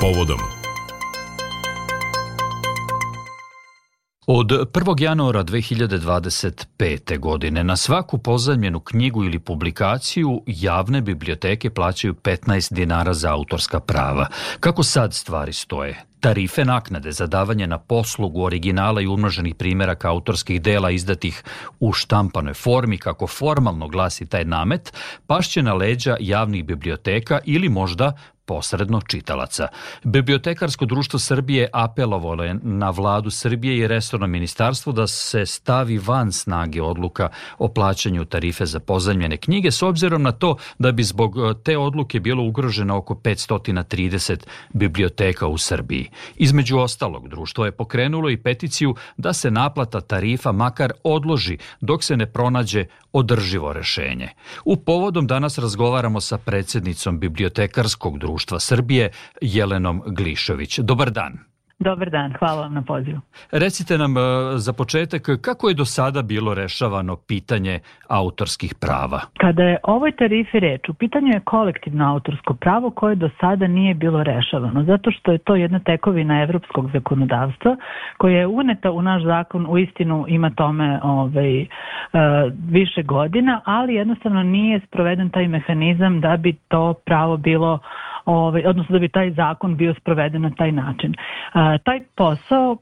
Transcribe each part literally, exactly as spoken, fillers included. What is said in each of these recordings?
povodom. Od prvog januara dve hiljade dvadeset pete. godine na svaku pozajmljenu knjigu ili publikaciju javne biblioteke plaćaju petnaest dinara za autorska prava. Kako sad stvari stoje? Tarife naknade za davanje na poslugu originala i umnoženih primjeraka autorskih dela izdatih u štampanoj formi, kako formalno glasi taj namet, pašće na leđa javnih biblioteka ili možda posredno čitalaca. Bibliotekarsko društvo Srbije apelovalo je na vladu Srbije i resorno ministarstvo da se stavi van snage odluka o plaćanju tarife za pozajmljene knjige, s obzirom na to da bi zbog te odluke bilo ugroženo oko petsto trideset biblioteka u Srbiji. Između ostalog, društvo je pokrenulo i peticiju da se naplata tarifa makar odloži dok se ne pronađe održivo rešenje. U povodom danas razgovaramo sa predsjednicom Bibliotekarskog društva Srbije, Jelenom Glišović. Dobar dan. Dobar dan, hvala vam na pozivu. Recite nam za početak kako je do sada bilo rešavano pitanje autorskih prava? Kada je o ovoj tarifi reč, u pitanju je kolektivno autorsko pravo koje do sada nije bilo rešavano, zato što je to jedna tekovina evropskog zakonodavstva koja je uneta u naš zakon, u istinu ima tome ovaj, uh, više godina, ali jednostavno nije sproveden taj mehanizam da bi to pravo bilo Ovaj, odnosno da bi taj zakon bio sproveden na taj način. Uh, taj posao uh,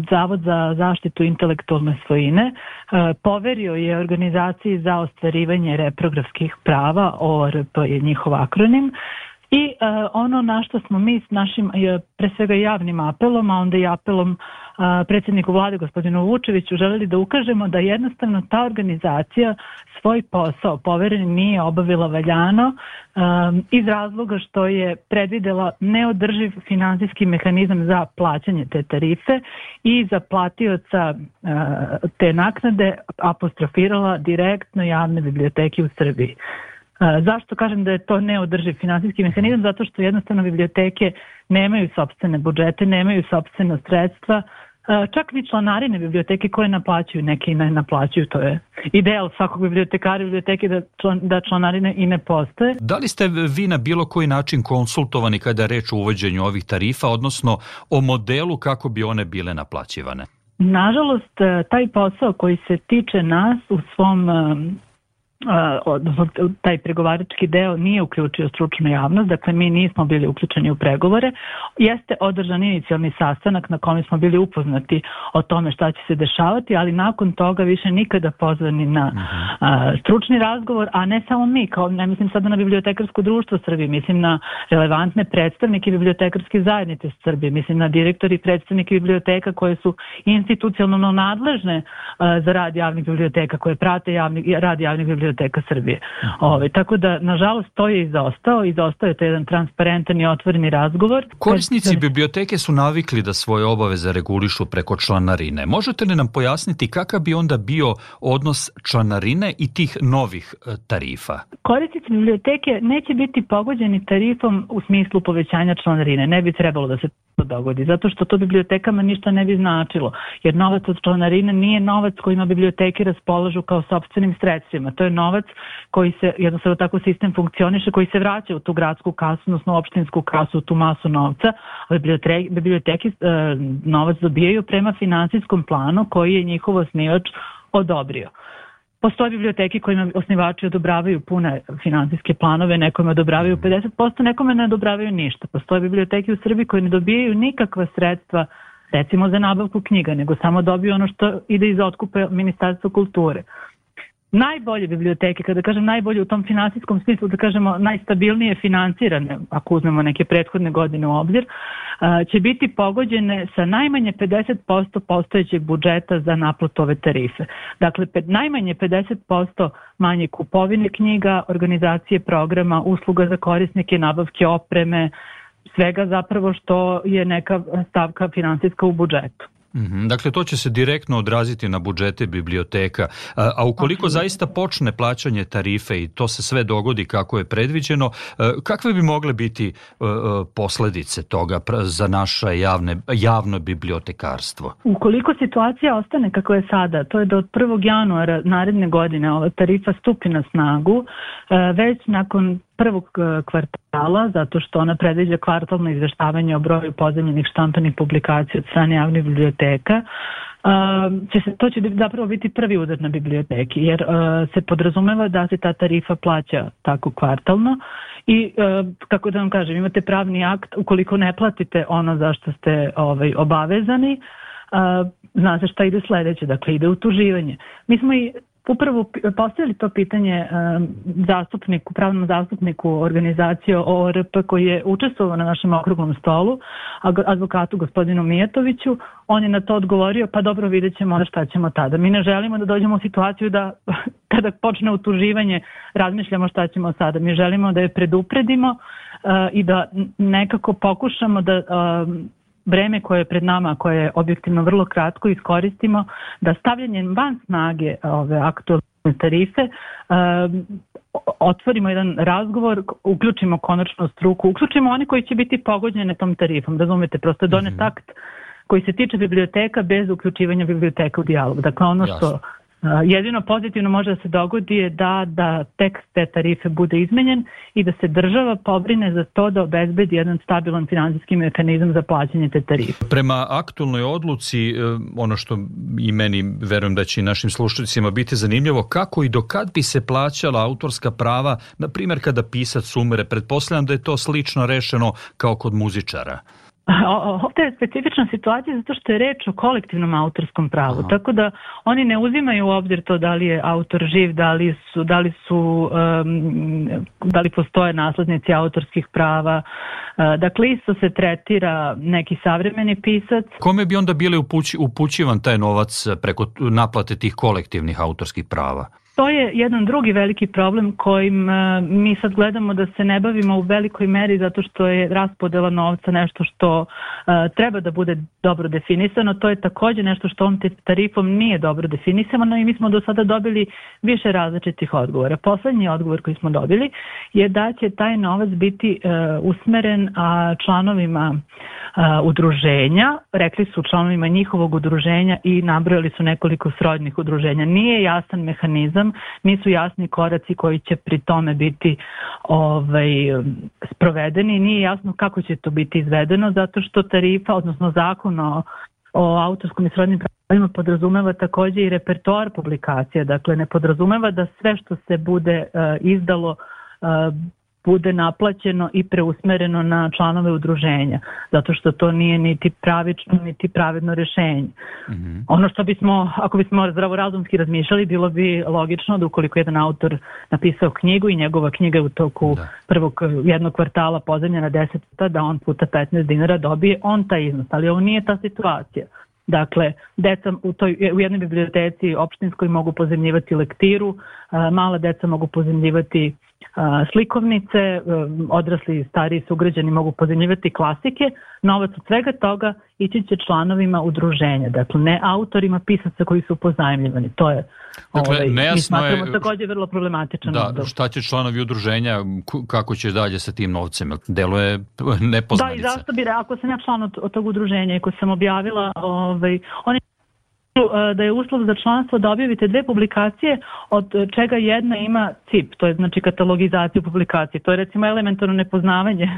Zavod za zaštitu intelektualne svojine uh, poverio je organizaciji za ostvarivanje reprografskih prava, O R P je njihov akronim, i uh, ono na što smo mi s našim, pre svega javnim apelom, a onda i apelom uh, predsjedniku vlade gospodinu Vučeviću želeli da ukažemo da jednostavno ta organizacija svoj posao poveren nije obavila valjano um, iz razloga što je predvidela neodrživ finansijski mehanizam za plaćanje te tarife i za platioca uh, te naknade apostrofirala direktno javne biblioteke u Srbiji. Zašto kažem da je to neodrživ finansijski mehanizam? Zato što jednostavno biblioteke nemaju sopstvene budžete, nemaju sopstvena sredstva, čak ni članarine biblioteke koje naplaćuju, neki i ne naplaćuju, to je ideal svakog bibliotekara i biblioteke da, član, da članarine i ne postoje. Da li ste vi na bilo koji način konsultovani kada je reč o uvođenju ovih tarifa, odnosno o modelu kako bi one bile naplaćivane? Nažalost, taj posao koji se tiče nas u svom odnosno taj pregovarački deo nije uključio stručnu javnost, dakle mi nismo bili uključeni u pregovore. Jeste održan inicijalni sastanak na kome smo bili upoznati o tome šta će se dešavati, ali nakon toga više nikada pozvani na a, stručni razgovor, a ne samo mi, kao ne mislim sada na Bibliotekarsko društvo Srbije, mislim na relevantne predstavnike bibliotekarske zajednice Srbije, mislim na direktori i predstavnike biblioteka koje su institucionalno nadležne a, za rad javnih biblioteka, koje prate javni, rad javnih biblioteka Biblioteka Srbije. Ove, tako da, nažalost, to je izostao. Izostao je to jedan transparentan i otvoreni razgovor. Korisnici biblioteke su navikli da svoje obaveze regulišu preko članarine. Možete li nam pojasniti kakav bi onda bio odnos članarine i tih novih tarifa? Korisnici biblioteke neće biti pogođeni tarifom u smislu povećanja članarine. Ne bi trebalo da se to dogodi, zato što to bibliotekama ništa ne bi značilo, jer novac od članarine nije novac kojima biblioteke raspolažu kao sopstvenim sredstvima. To je novac koji se, jednostavno tako sistem funkcioniše, koji se vraća u tu gradsku kasu, odnosno u opštinsku kasu, u tu masu novca, a biblioteke, biblioteke e, novac dobijaju prema finansijskom planu koji je njihov osnivač odobrio. Postoje biblioteke kojima osnivači odobravaju pune finansijske planove, nekome odobravaju pedeset posto, nekome ne odobravaju ništa. Postoje biblioteke u Srbiji koje ne dobijaju nikakva sredstva, recimo za nabavku knjiga, nego samo dobiju ono što ide iz otkupa Ministarstva kulture. Najbolje biblioteke, kada kažem najbolje u tom finansijskom smislu, da kažemo najstabilnije financirane, ako uzmemo neke prethodne godine u obzir, će biti pogođene sa najmanje pedeset posto postojećeg budžeta za naplatu ove tarife. Dakle, najmanje pedeset posto manje kupovine knjiga, organizacije programa, usluga za korisnike, nabavke opreme, svega zapravo što je neka stavka finansijska u budžetu. Dakle, to će se direktno odraziti na budžete biblioteka. A, a ukoliko zaista počne plaćanje tarife i to se sve dogodi kako je predviđeno, kakve bi mogle biti posledice toga za naše javne, javno bibliotekarstvo? Ukoliko situacija ostane kako je sada, to je da od prvog januara naredne godine ova tarifa stupi na snagu, već nakon prvog kvartala, zato što ona predviđa kvartalno izveštavanje o broju pozajmljenih štampanih publikacija od strane javnih biblioteka. Uh, će se, to će zapravo biti prvi udar na biblioteki, jer uh, se podrazumeva da se ta tarifa plaća tako kvartalno i, uh, kako da vam kažem, imate pravni akt, ukoliko ne platite ono za što ste ovaj, obavezani, uh, zna se šta ide sledeće, dakle ide utuživanje. Mi smo i upravo postavili to pitanje um, zastupniku, pravnom zastupniku organizacije O R P koji je učestvovao na našem okruglom stolu, advokatu gospodinu Mijatoviću. On je na to odgovorio, pa dobro, vidjet ćemo onda šta ćemo tada. Mi ne želimo da dođemo u situaciju da kada počne utuživanje razmišljamo šta ćemo sada. Mi želimo da je predupredimo uh, i da nekako pokušamo da uh, vreme koje je pred nama, koje je objektivno vrlo kratko, iskoristimo da stavljanjem van snage ove aktualne tarife um, otvorimo jedan razgovor, uključimo konačno struku, uključimo oni koji će biti pogođene tom tarifom, razumete, prosto je donet mm-hmm. akt koji se tiče biblioteka bez uključivanja biblioteka u dijalog. Dakle, ono Jasno. što jedino pozitivno može da se dogodi je da, da tekst te tarife bude izmenjen i da se država pobrine za to da obezbedi jedan stabilan finansijski mehanizam za plaćanje te tarife. Prema aktualnoj odluci, ono što i meni, verujem da će i našim slušateljima biti zanimljivo, kako i do kad bi se plaćala autorska prava, na primjer kada pisac umre, pretpostavljam da je to slično rešeno kao kod muzičara. Ovdje je specifična situacija zato što je reč o kolektivnom autorskom pravu, Aha. tako da oni ne uzimaju u obzir to da li je autor živ, da li su, da li su um, da li postoje naslednici autorskih prava. Uh, dakle, isto se tretira neki savremeni pisac. Kome bi onda bili upući, upućivan taj novac preko naplate tih kolektivnih autorskih prava? To je jedan drugi veliki problem kojim uh, mi sad gledamo da se ne bavimo u velikoj meri zato što je raspodela novca nešto što uh, treba da bude dobro definisano. To je također nešto što ovom tarifom nije dobro definisano i mi smo do sada dobili više različitih odgovora. Poslednji odgovor koji smo dobili je da će taj novac biti uh, usmeren a, članovima uh, udruženja, rekli su članovima njihovog udruženja i nabrojali su nekoliko srodnih udruženja. Nije jasan mehanizam, nisu jasni koraci koji će pri tome biti ovaj, sprovedeni, nije jasno kako će to biti izvedeno zato što tarifa, odnosno zakon o, o autorskom i srodnim pravima podrazumeva također i repertoar publikacija, dakle ne podrazumeva da sve što se bude uh, izdalo uh, bude naplaćeno i preusmereno na članove udruženja, zato što to nije niti pravično, niti pravedno rešenje. Mm-hmm. Ono što bismo, ako bismo zdravorazumski razmišljali, bilo bi logično da ukoliko jedan autor napisao knjigu i njegova knjiga je u toku da. prvog jednog kvartala pozajmljena deset puta, da on puta petnaest dinara dobije on taj iznos, ali ovo nije ta situacija. Dakle, deca u, toj, u jednoj biblioteci opštinskoj mogu pozajmljivati lektiru, mala deca mogu pozajmljivati slikovnice, odrasli i stariji sugrađani mogu pozajmljivati klasike, novac od svega toga ići će članovima udruženja, dakle ne autorima pisaca koji su pozajmljivani. To je, dakle, ovaj, mi smatramo je, također vrlo problematičan. Da, odbor. Šta će članovi udruženja, kako će dalje sa tim novcem? Delo je nepoznanica. Da, i zašto bi, ako sam ja član od, od tog udruženja i ko sam objavila, ovaj, oni da je uslov za članstvo da objavite dve publikacije od čega jedna ima C I P, to je znači katalogizaciju publikacije. To je recimo elementarno nepoznavanje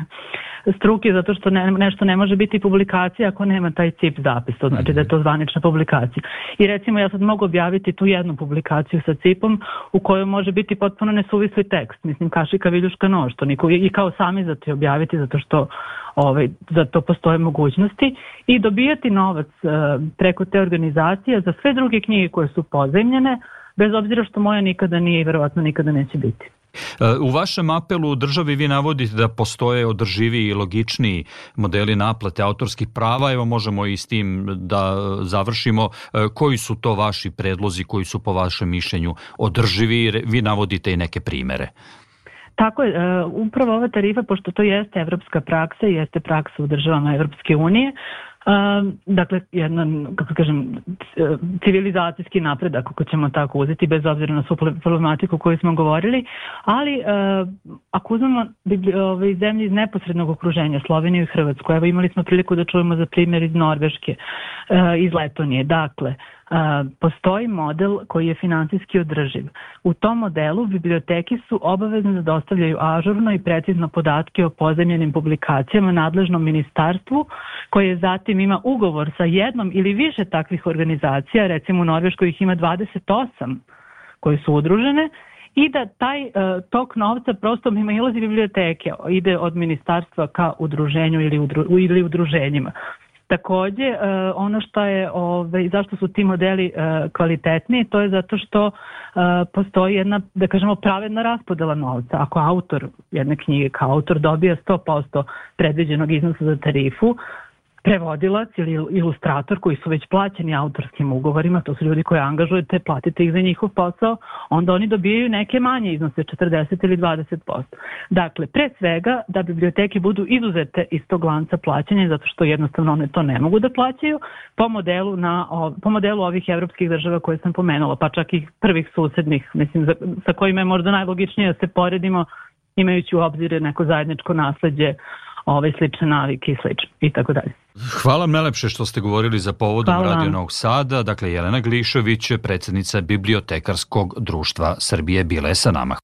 struke zato što ne, nešto ne može biti publikacija ako nema taj C I P zapis, to znači da je to zvanična publikacija. I recimo ja sad mogu objaviti tu jednu publikaciju sa C I P-om u kojoj može biti potpuno nesuvisli tekst, mislim kašika, viljuška, nož, to niko i kao sami za to objaviti zato što ovaj, za to postoje mogućnosti i dobijati novac uh, preko te organizacije za sve druge knjige koje su pozajmljene, bez obzira što moja nikada nije i verovatno nikada neće biti. U vašem apelu državi vi navodite da postoje održiviji i logičniji modeli naplate autorskih prava. Evo možemo i s tim da završimo. Koji su to vaši predlozi, koji su po vašem mišljenju održivi? Vi navodite i neke primere. Tako je, upravo ova tarifa, pošto to jeste evropska praksa i jeste praksa u državama Evropske unije, Dakle, jedan, kako kažem, civilizacijski napredak, ako ćemo tako uzeti, bez obzira na svu problematiku koju smo govorili, ali ako uzmemo ove zemlje iz neposrednog okruženja, Sloveniju i Hrvatsku, evo imali smo priliku da čujemo za primjer iz Norveške, iz Letonije, dakle, postoji model koji je financijski održiv. U tom modelu biblioteke su obavezne da dostavljaju ažurno i precizno podatke o pozajmljenim publikacijama nadležnom ministarstvu, koje zatim ima ugovor sa jednom ili više takvih organizacija, recimo u Norveškoj ih ima dvadeset osam koje su udružene, i da taj uh, tok novca prosto mimo ilazi biblioteke, ide od ministarstva ka udruženju ili, udru, ili udruženjima. Takođe, uh, ono što je, ove, zašto su ti modeli uh, kvalitetniji, to je zato što uh, postoji jedna, da kažemo, pravedna raspodela novca. Ako autor jedne knjige kao autor dobija sto posto predviđenog iznosa za tarifu, prevodilac ili ilustrator koji su već plaćeni autorskim ugovorima, to su ljudi koje angažujete, platite ih za njihov posao, onda oni dobijaju neke manje iznose, četrdeset ili dvadeset posto. Dakle, pre svega da biblioteke budu izuzete iz tog lanca plaćanja, zato što jednostavno one to ne mogu da plaćaju, po modelu, na, po modelu ovih evropskih država koje sam pomenula, pa čak i prvih susednih, mislim, sa kojima je možda najlogičnije da se poredimo, imajući u obzir neko zajedničko nasleđe, ove slične navike i slično i tako dalje. Hvala vam najlepše što ste govorili za povodom Radio Novog Sada. Dakle, Jelena Glišović, predsjednica Bibliotekarskog društva Srbije, bila je sa nama.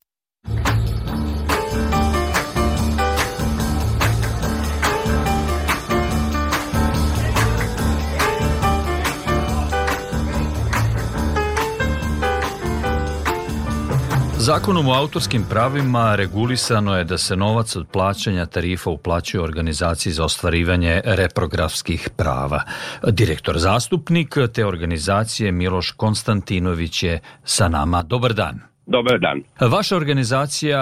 Zakonom o autorskim pravima regulisano je da se novac od plaćanja tarifa uplaćuje organizaciji za ostvarivanje reprografskih prava. Direktor zastupnik te organizacije Miloš Konstantinović je sa nama. Dobar dan. Dobar dan. Vaša organizacija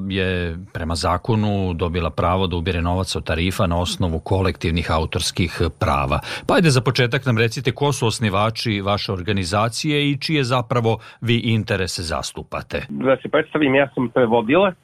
je prema zakonu dobila pravo da ubire novac od tarifa na osnovu kolektivnih autorskih prava. Pa ajde za početak nam recite ko su osnivači vaše organizacije i čije zapravo vi interese zastupate. Da se predstavim, ja sam prevodilac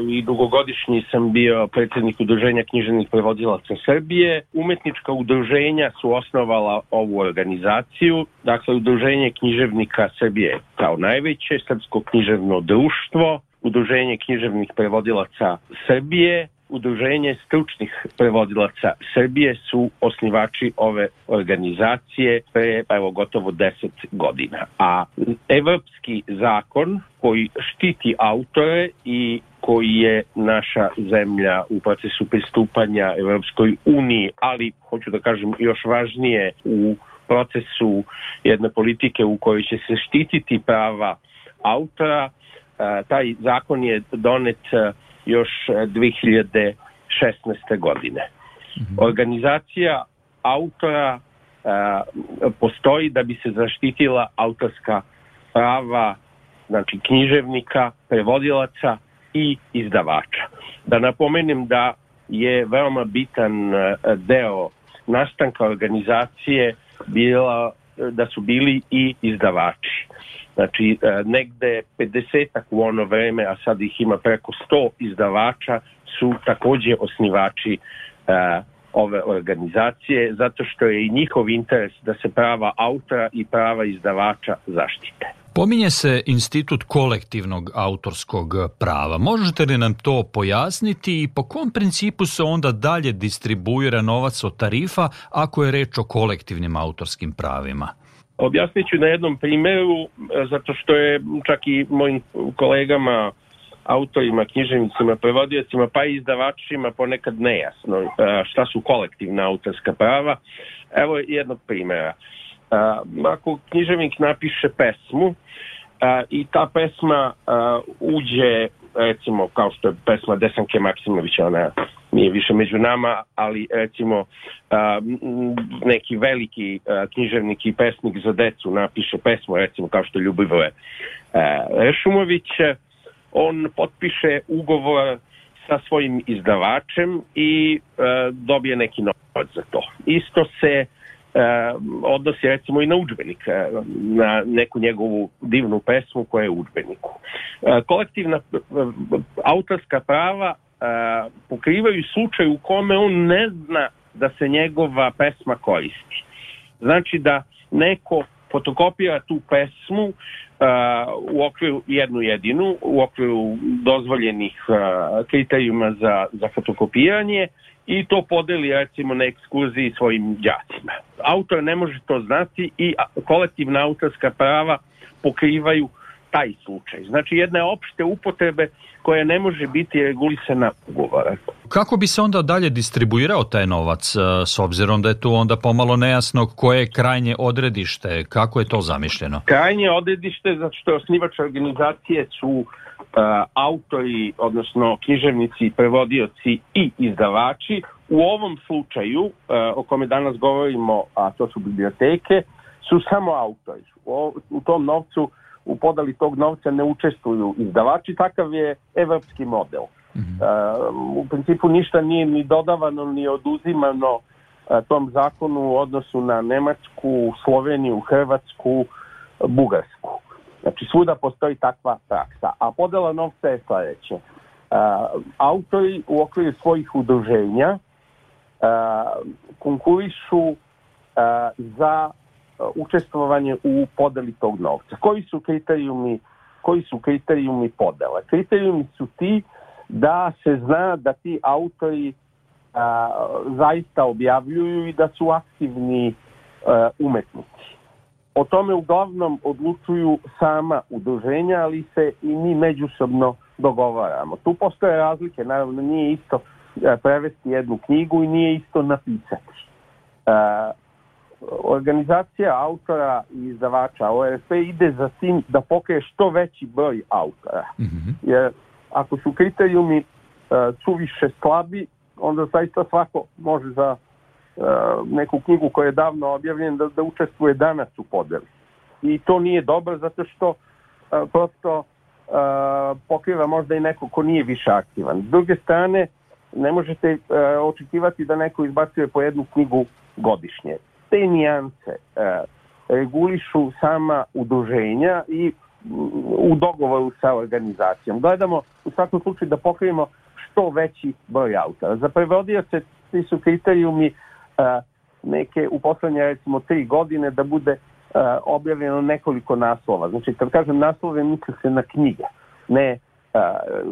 i dugogodišnji sam bio predsjednik Udruženja književnih prevodilaca Srbije. Umetnička udruženja su osnovala ovu organizaciju, dakle Udruženje književnika Srbije kao najveće, Srpsko književno društvo, Udruženje književnih prevodilaca Srbije, Udruženje stručnih prevodilaca Srbije su osnivači ove organizacije pre evo gotovo deset godina. A evropski zakon koji štiti autore i koji je naša zemlja u procesu pristupanja Evropskoj uniji, ali hoću da kažem još važnije u procesu jedne politike u kojoj će se štititi prava autora. Taj zakon je donet još dve hiljade šesnaeste. godine. Mm-hmm. Organizacija autora postoji da bi se zaštitila autorska prava, znači književnika, prevodilaca i izdavača. Da napomenem da je veoma bitan deo nastanka organizacije bila, da su bili i izdavači. Znači, negde pedesetak u ono vreme, a sad ih ima preko sto izdavača, su takođe osnivači uh, ove organizacije, zato što je i njihov interes da se prava autora i prava izdavača zaštite. Pominje se institut kolektivnog autorskog prava. Možete li nam to pojasniti i po kom principu se onda dalje distribuira novac od tarifa ako je reč o kolektivnim autorskim pravima? Objasnit ću na jednom primjeru, zato što je čak i mojim kolegama, autorima, književnicima, prevodiocima, pa i izdavačima ponekad nejasno šta su kolektivna autorska prava. Evo jednog primjera. Ako književnik napiše pesmu i ta pesma uđe, recimo kao što je pesma Desanke Maksimovića, ona nije više među nama, ali recimo neki veliki književnik i pesnik za decu napiše pesmu, recimo kao što je Ljubivoje Rešumović, on potpiše ugovor sa svojim izdavačem i dobije neki novac za to. Isto se odnosi recimo i na udžbenik, na neku njegovu divnu pesmu koja je u udžbeniku. Kolektivna autorska prava pokrivaju slučaj u kome on ne zna da se njegova pesma koristi. Znači da neko fotokopira tu pesmu uh, u okviru jednu jedinu, u okviru dozvoljenih uh, kriterijuma za, za fotokopiranje i to podeli recimo na ekskurziji svojim đacima. Autor ne može to znati i kolektivna autorska prava pokrivaju taj slučaj. Znači jedne opšte upotrebe koja ne može biti regulisana ugovora. Kako bi se onda dalje distribuirao taj novac, s obzirom da je tu onda pomalo nejasno koje je krajnje odredište, kako je to zamišljeno? Krajnje odredište, zato što osnivač organizacije su uh, autori, odnosno književnici, prevodioci i izdavači. U ovom slučaju, uh, o kome danas govorimo, a to su biblioteke, su samo autori. U, u tom novcu u podali tog novca ne učestvuju izdavači, takav je evropski model. Mm-hmm. Uh, u principu ništa nije ni dodavano ni oduzimano uh, tom zakonu u odnosu na Nemačku, Sloveniju, Hrvatsku, Bugarsku. Znači svuda postoji takva praksa. A podela novca je sljedeće. Uh, autori u okviru svojih udruženja uh, konkurišu uh, za učestvovanje u podeli tog novca. Koji su kriterijumi, koji su kriterijumi podela? Kriterijumi su ti da se zna da ti autori a, zaista objavljuju i da su aktivni a, umetnici. O tome uglavnom odlučuju sama udruženja, ali se i mi međusobno dogovaramo. Tu postoje razlike, naravno nije isto prevesti jednu knjigu i nije isto napisati. A, Organizacija autora i izdavača O R F ide za tim da pokrije što veći broj autora. Mm-hmm. Jer ako su kriterijumi uh, suviše slabi, onda zaista svako može za uh, neku knjigu koja je davno objavljena da, da učestvuje danas u podeli. I to nije dobro zato što uh, prosto uh, pokriva možda i neko ko nije više aktivan. S druge strane, ne možete uh, očekivati da neko izbacuje po jednu knjigu godišnje. Te nijance e, regulišu sama udruženja i u dogovoru sa organizacijom. Gledamo u svakom slučaju da pokrijemo što veći broj autora. Za prevodioce ti su kriterijumi e, neke u poslednje recimo tri godine da bude e, objavljeno nekoliko naslova. Znači kad kažem naslove misli se na knjige, ne e,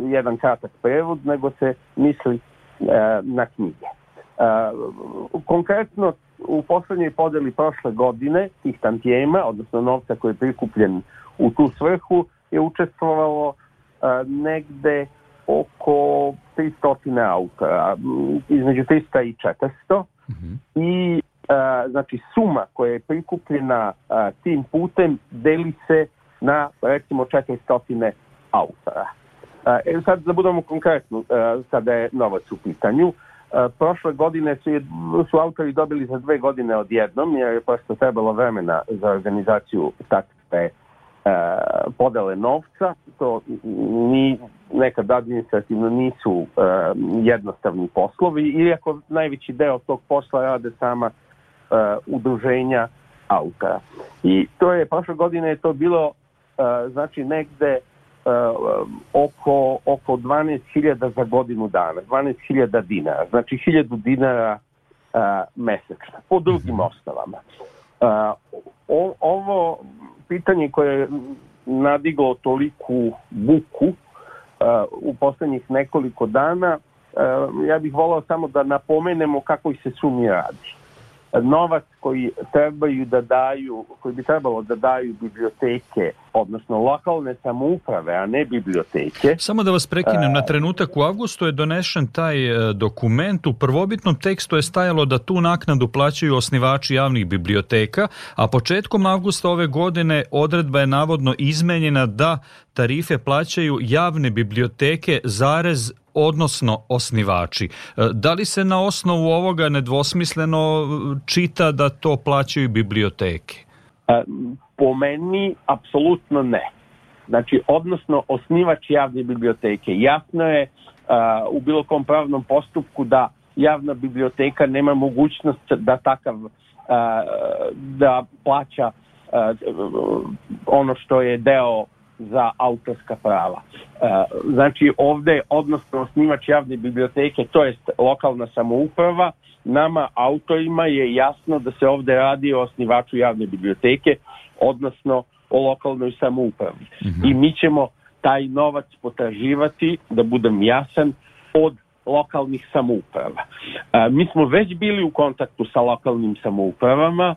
jedan kratak prevod, nego se misli e, na knjige. Uh, konkretno u poslednjoj podeli prošle godine tih tantijema, odnosno novca koji je prikupljen u tu svrhu, je učestvovalo uh, negde oko tristo autora, između tristo i četiristo. Mm-hmm. I uh, znači suma koja je prikupljena uh, tim putem deli se na recimo četiristo autora. Uh, e, sad da budemo konkretno, uh, sada je novac u pitanju. Uh, prošle godine su, su autori dobili za dve godine odjednom, jer je prosto trebalo vremena za organizaciju takve uh, podele novca. To ni, nekad administrativno nisu uh, jednostavni poslovi, iako najveći deo tog posla rade sama uh, udruženja autora. I to je, prošle godine je to bilo uh, znači negde Uh, oko, oko dvanaest hiljada za godinu dana, dvanaest hiljada dinara, znači hiljadu dinara uh, mesečno, po drugim osnovama. Uh, o, ovo pitanje koje je nadiglo toliku buku uh, u poslednjih nekoliko dana, uh, ja bih volao samo da napomenemo kako se sumi radi. Novac koji trebaju da daju, koji bi trebalo da daju biblioteke, odnosno lokalne samouprave, a ne biblioteke. Samo da vas prekinem na trenutak, u avgustu je donešen taj dokument, u prvobitnom tekstu je stajalo da tu naknadu plaćaju osnivači javnih biblioteka, a početkom avgusta ove godine odredba je navodno izmenjena da tarife plaćaju javne biblioteke zarez odnosno osnivači. Da li se na osnovu ovoga nedvosmisleno čita da to plaćaju biblioteke? Po meni, apsolutno ne. Znači, odnosno osnivač javne biblioteke. Jasno je uh, u bilo kom pravnom postupku da javna biblioteka nema mogućnost da takav uh, da plaća uh, ono što je deo za autorska prava. Znači ovde, odnosno osnivač javne biblioteke, to jest lokalna samouprava, nama autorima je jasno da se ovde radi o osnivaču javne biblioteke, odnosno o lokalnoj samoupravi. Mm-hmm. I mi ćemo taj novac potraživati, da budem jasan, od lokalnih samouprava. A, mi smo već bili u kontaktu sa lokalnim samoupravama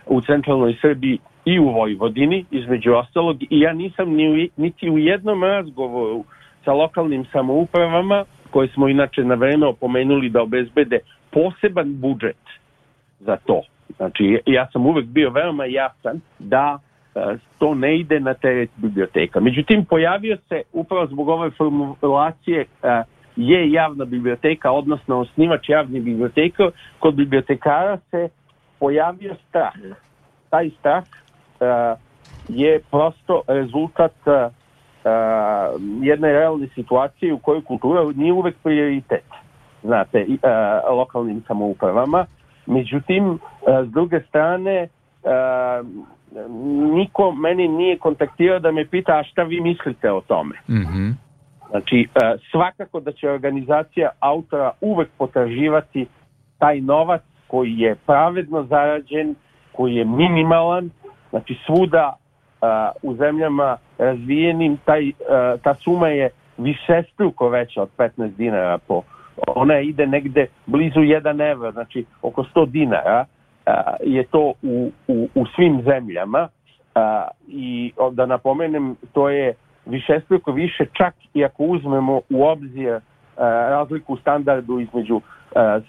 u centralnoj Srbiji i u Vojvodini, između ostalog, i ja nisam ni, niti u jednom razgovoru sa lokalnim samoupravama, koje smo inače na vreme opomenuli da obezbede poseban budžet za to. Znači, ja sam uvek bio veoma jasan da a, to ne ide na teret biblioteka. Međutim, pojavio se upravo zbog ove formulacije a, je javna biblioteka, odnosno osnivač javne biblioteke, kod bibliotekara se pojavio strah. Taj strah uh, je prosto rezultat uh, jedne realne situacije u kojoj kultura nije uvek prioritet, znate, uh, lokalnim samoupravama. Međutim, uh, s druge strane, uh, niko meni nije kontaktirao da me pita a šta vi mislite o tome. Mm-hmm. Znači, svakako da će organizacija autora uvek potraživati taj novac koji je pravedno zarađen, koji je minimalan. Znači, svuda u zemljama razvijenim taj, ta suma je višestruko veća od petnaest dinara. Po, ona ide negde blizu jedan evro, znači oko sto dinara je to u, u, u svim zemljama. I da napomenem, to je višestruko više, čak i ako uzmemo u obzir uh, razliku u standardu između uh,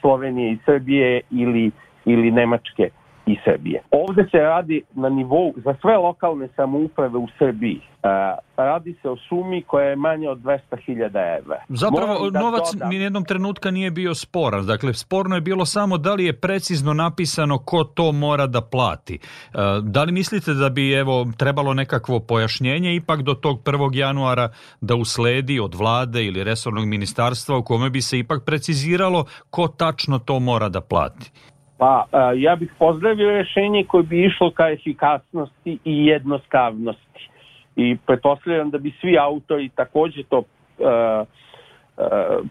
Slovenije i Srbije ili, ili Nemačke i Srbije. Ovde se radi na nivou za sve lokalne samouprave u Srbiji. Uh, radi se o sumi koja je manja od dvesta hiljada evra. Zapravo da novac dodam, ni jednom trenutka nije bio sporan. Dakle, sporno je bilo samo da li je precizno napisano ko to mora da plati. Uh, da li mislite da bi evo trebalo nekakvo pojašnjenje ipak do tog prvog januara da usledi od vlade ili resornog ministarstva u kome bi se ipak preciziralo ko tačno to mora da plati? Pa, ja bih pozdravio rješenje koje bi išlo ka efikasnosti i jednostavnosti. I pretpostavljam da bi svi autori takođe to, uh,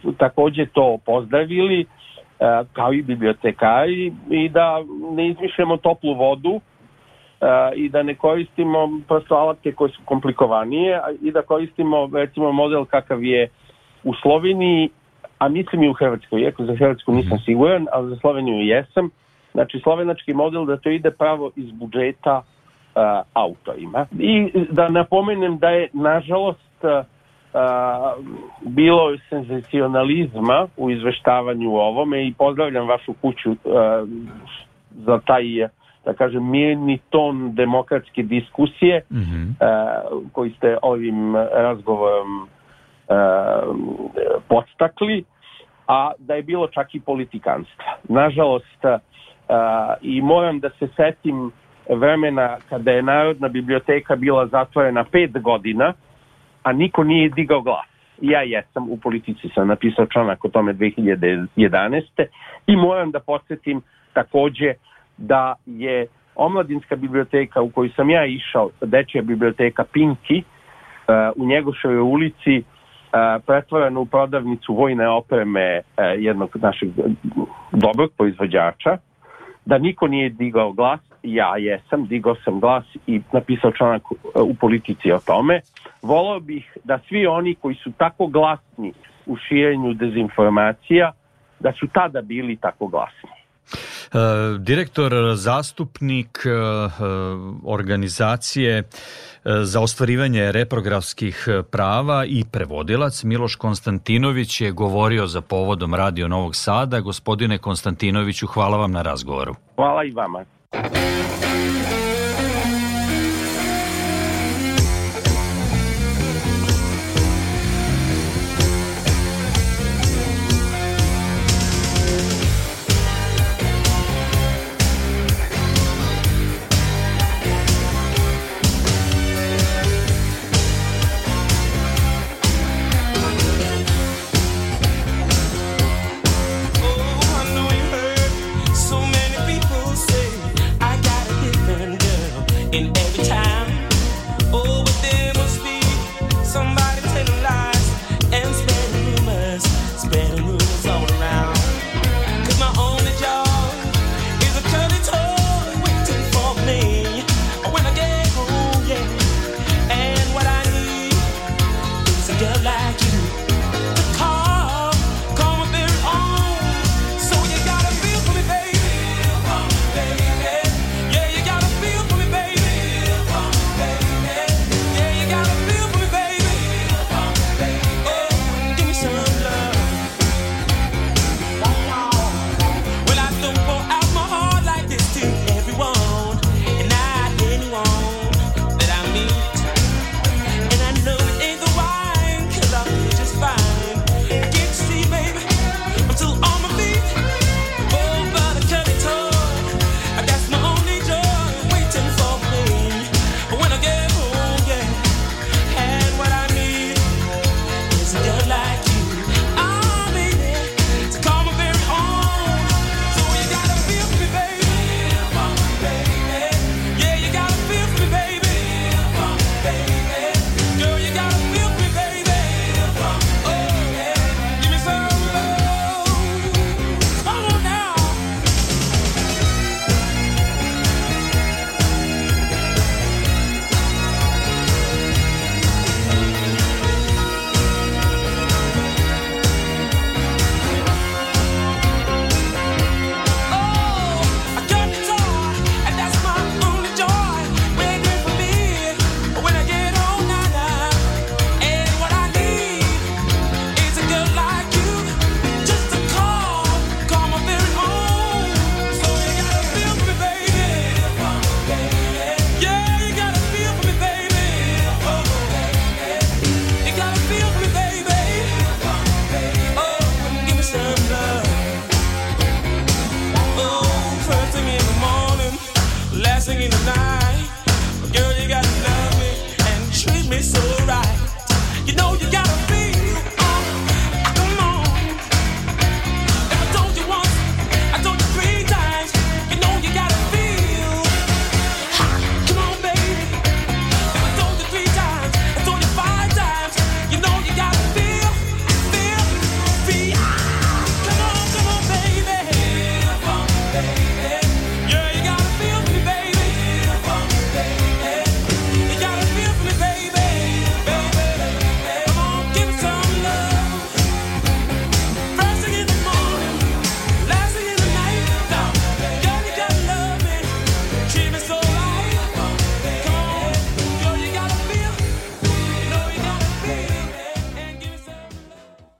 uh, takođe to pozdravili, uh, kao i bibliotekari, i da ne izmišljamo toplu vodu uh, i da ne koristimo prosto alatke koje su komplikovanije i da koristimo recimo model kakav je u Sloveniji, a mislim i u Hrvatskoj, iako za Hrvatsku nisam siguran, ali za Sloveniju jesam. Znači, slovenački model da to ide pravo iz budžeta uh, autorima. I da napomenem da je, nažalost, uh, uh, bilo senzacionalizma u izveštavanju o ovome i pozdravljam vašu kuću uh, za taj, da kažem, mirni ton demokratske diskusije mm-hmm. uh, koji ste ovim razgovorom uh, podstakli, a da je bilo čak i politikanstva. Nažalost, Uh, i moram da se setim vremena kada je Narodna biblioteka bila zatvorena pet godina, a niko nije digao glas. Ja jesam, u Politici sam napisao članak o tome dve hiljade jedanaeste. I moram da podsjetim takođe da je omladinska biblioteka u koju sam ja išao, dečja biblioteka Pinki, uh, u Njegoševoj ulici, uh, pretvorena u prodavnicu vojne opreme uh, jednog našeg dobrog proizvođača, da niko nije digao glas, ja jesam, digao sam glas i napisao članak u Politici o tome. Voleo bih da svi oni koji su tako glasni u širenju dezinformacija, da su tada bili tako glasni. Uh, direktor, zastupnik uh, organizacije uh, za ostvarivanje reprografskih prava i prevodilac Miloš Konstantinović je govorio za povodom Radio Novog Sada. Gospodine Konstantinoviću, hvala vam na razgovoru. Hvala i vama.